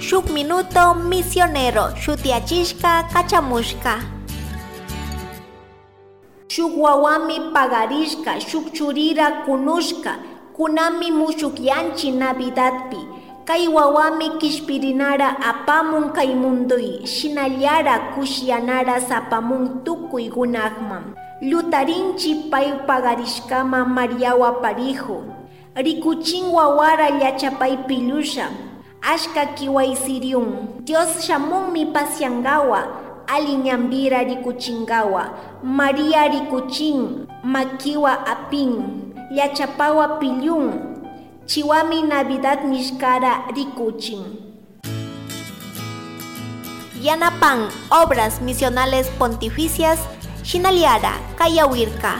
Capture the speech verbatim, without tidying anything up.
Shuk Minuto Misionero shutiyachishka kachamushka. Shuk wawami pagarishka, shuk churira kunushka, kunami mushukyanchi Navidadpi. Kay wawami kishpirinara apamun kay munduy, shinallara kushiyanara sapamun tukuy gunakman. Llutarinchi pay pagarishkama Mariawa parihu. Rikuchin wawara llachapay pillusha. Ashka kiwaysiriun. Dios shamunmi pasiangawa, ali ñambira rikuchingawa. Maria rikuchin, makiwa apin, llachapawa pillun. Chiwami Navidad nishkara rikuchin. Yanapan Obras Misionales Pontificias, Shinaliara, Kayawirka.